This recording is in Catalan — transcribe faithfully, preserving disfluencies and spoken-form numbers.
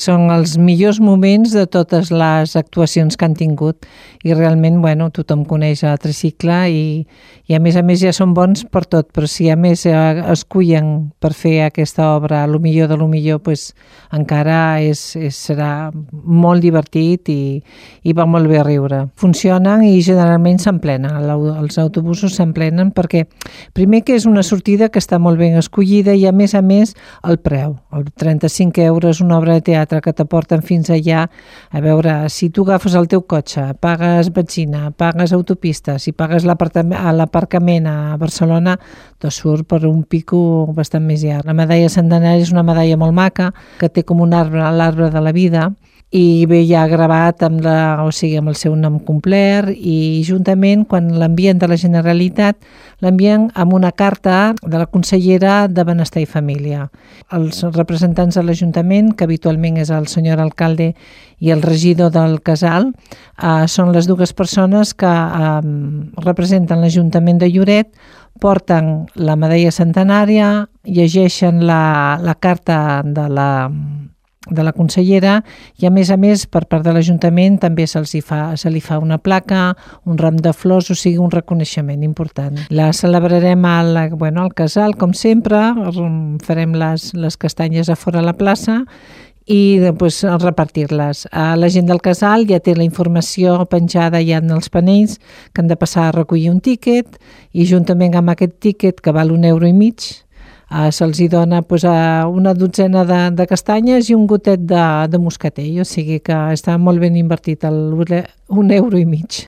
són els millors moments de totes les actuacions que han tingut i realment, bueno, tothom coneix a Tricicle i, i a més a més ja són bons per tot, però si a més escullen per fer aquesta obra lo millor de lo millor, pues, encara és, és, serà molt divertit i, i va molt bé a riure. Funcionen i generalment s'emplenen, els autobusos s'emplenen perquè primer que és una sortida que està molt ben escollida i a més a més el preu, el trenta-cinc euros, una obra de teatre que t'aporten fins allà. A veure, si tu agafes el teu cotxe, pagues benzina, pagues autopistes i pagues l'aparcament a Barcelona, te surt per un pico bastant més llarg. La medalla centenària és una medalla molt maca que té com un arbre, l'arbre de la vida, i ve ja gravat amb, la, o sigui, amb el seu nom complet i juntament quan l'envien de la Generalitat l'envien amb una carta de la consellera de Benestar i Família. Els representants de l'Ajuntament, que habitualment és el senyor alcalde i el regidor del casal, eh, són les dues persones que eh, representen l'Ajuntament de Lloret, porten la medalla centenària, llegeixen la, la carta de la de la consellera i a més a més per part de l'Ajuntament també se'ls hi fa, se li fa una placa, un ram de flors, o sigui un reconeixement important. La celebrarem al, bueno, al casal com sempre, farem les, les castanyes a fora a la plaça i després repartir-les. La gent del casal ja té la informació penjada ja en els panells que han de passar a recollir un tíquet i juntament amb aquest tíquet que val un euro i mig Uh, se'ls hi dona pues, uh, una dotzena de, de castanyes i un gotet de, de moscatell, o sigui que està molt ben invertit el un euro i mig.